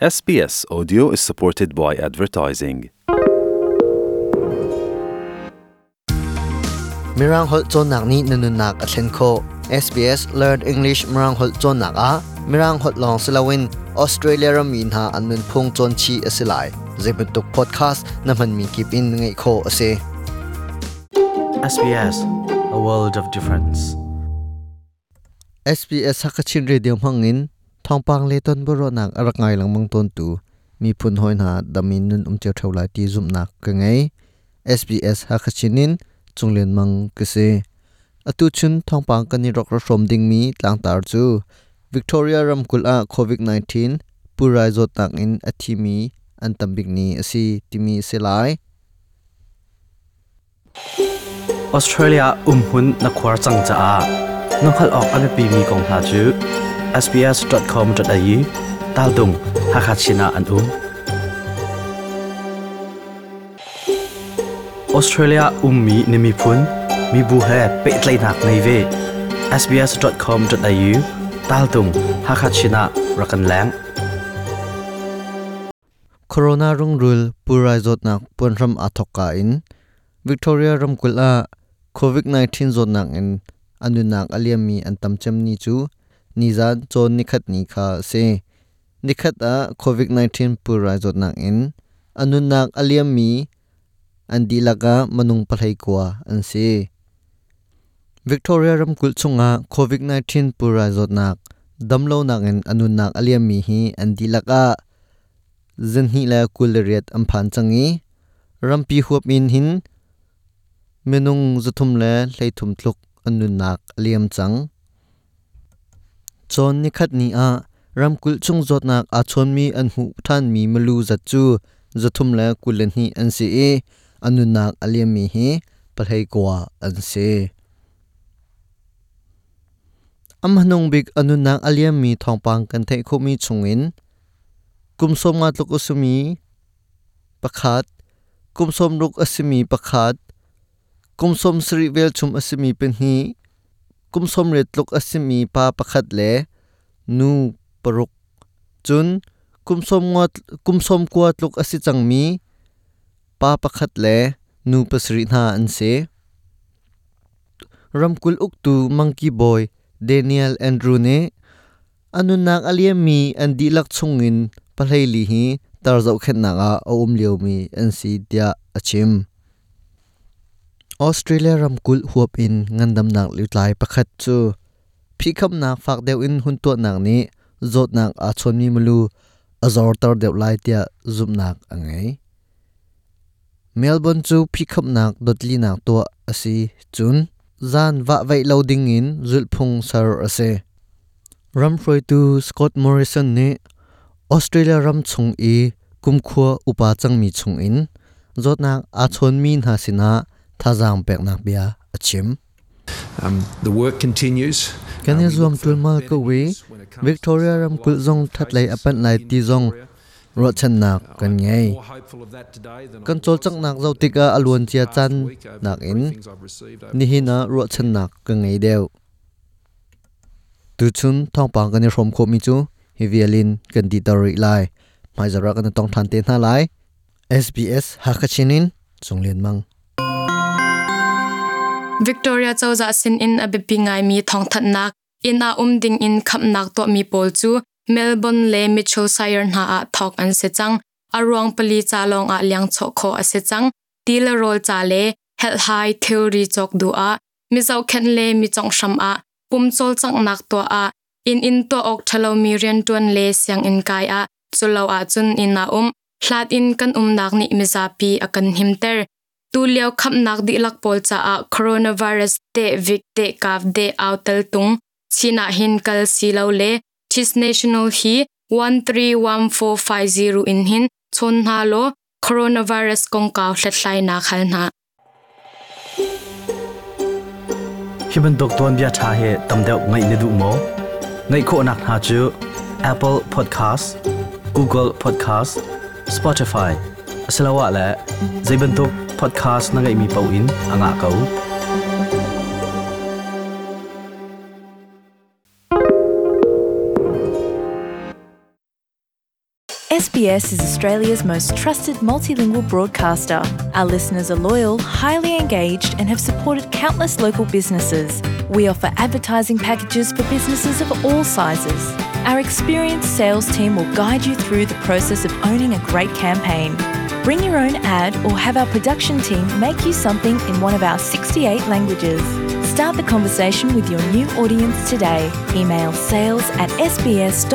SBS Audio is supported by advertising. Mirang holh cawnnak nih na nunnak a thlen khawh. SBS Learn English Mirang holh cawnnak ah Mirang holh lawng si loin Australia rammi hna an nunphung cawn chih a si lai. Zeibantuk podcast na hmanmi kip in ngaih khawh a si. SBS, a world of difference. SBS Hakachin Radio hmangin thawngpang le tonbiaruahnak a rak ngai lengmang tawntu miphun hawi hna dam in nun um cio ṭheo lai ti zumhnak ka ngei. SBS Hakachin in Cunglian Mang ka si. Atu chun thawngpang kan i rak ra hrawm dingmi tlangtar cu Victoria ramkulh ah COVID-19 pulrai zawtnak in a thimi an tambik ni a si timi a si lai. Australia umhmun na khuar cang caah na hngalh awk a biapimi kong hna cu sbs.com.au taltung Hakha Chin ah an um. Australia ummi na miphun, mibu he pehtlaihnak ngei ve. sbs.com.au taltung Hakha Chin ah rak kan leng. Corona rungrul pulrai zawtnak puanhram aa thawkka in Victoria ramkulh ah COVID-19 zawtnak in a nunnak a liammi an tam cem ni cu nizan cawn nikhat ni kha a si. Nikhat ah COVID-19 pulrai zawtnak in a nunnak a liammi an dihlak ah minung 19 an si. Victoria ramkulh chungah COVID-19 pulrai zawtnak damlonak in a nunnak a liammi hi an dihlak ah 228 an phan cang i rampi huap in hin minung 333 tluk an nunnak a liam cang. Cawn nikhat ni ah ramkulh chung zawtnak aa chawnmi an hmuh ṭhanmi milu zat cu 322 an si i a nunnak a liammi hi 19 an si. A hmanung bik a nunnak a liammi thawngpang kan theih khawhmi chungin kum 50 tluk a simi pakhat, kum 60 a simi pakhat, kum 70 velchum a simi pahnih, kum 80 tluk a simi pa pakhat le nu paruk, cun kum 90 tluk a si cangmi pa pakhat le nu pasarih hna an si. Ramkulh uktu Mangki bawi Daniel Andrew nih a nunnak a liammi an dihlak chungin 14 hi tar zohkhenhnak ah a um liomi an si tiah a chim. Australia ramkulh huap in ngandamnak lutlai pakhat cu phihkhamnak fak deuh in hun tuahnak nih zawtnak aa chawnmi milu a zorter deuh lai tiah zumhnak a ngei. Melbourne cu phihkhamnak dotlinak tuah a si cun zan vahvaih lo dingin zulhphung ser a si. Ramhruaitu Scott Morrison nih Australia ram chung i kumkhua upa cangmi chungin zawtnak aa chawnmi hna sinah thazaang peknak bia a chim. The work continues. Kan i zuam ṭulmal ko i Victoria ramkulh zong ṭhatlei a panh lai ti zong ruahchannak kan ngei. Kan cawlcanghnak zoh tikah a luancia caan nakin nihin ah ruahchannak ka ngei deuh. Tuchun thawngpang kan i hrawm khawhmi cu hi vial in kan dihter rih lai. Hmaizarh ah kan i tong ṭhan te hna lai. SBS Hakha Chin in Cung Lian Mang. Victoria cozah sinin a biapi ngaimi thawngthanhnak inn ah um ding in khamnak tuahmi pawl cu Melbourne le Mitchell Shire hna ah thawk an si cang. A ruang pali ca lawng ah liangchawh khawh a si cang. Ti le rawl ca le helhhai thilri cawk duh ah mi zohkhenh le mi conghhram ah pum cawlcanghnak tuah ah inn in tuah awk ṭhalomi rianṭuan le sianginn kai ah culo ahcun inn ah um hlat in kan umnak nih mizapi a kan himter. Tulio khamnak dihlak pawl caah coronavirus te vik te kav de au tel tung Chin ah hin kal si lo le Chis National hi 131450 in hin chawn hna law coronavirus kongkau hlathlainak hal hna. Hi bantuk tuanbia ṭha hi tam deuh ngaih na duh maw? Ngaih khawhnak hna cu Apple Podcast, Google Podcast, Spotify asiloah le zei bantuk podcast na ngeihmi paoh in a ngah ko. SBS is Australia's most trusted multilingual broadcaster. Our listeners are loyal, highly engaged, and have supported countless local businesses. We offer advertising packages for businesses of all sizes. Our experienced sales team will guide you through the process of owning a great campaign. Bring your own ad or have our production team make you something in one of our 68 languages. Start the conversation with your new audience today. Email sales at sbs.com.au.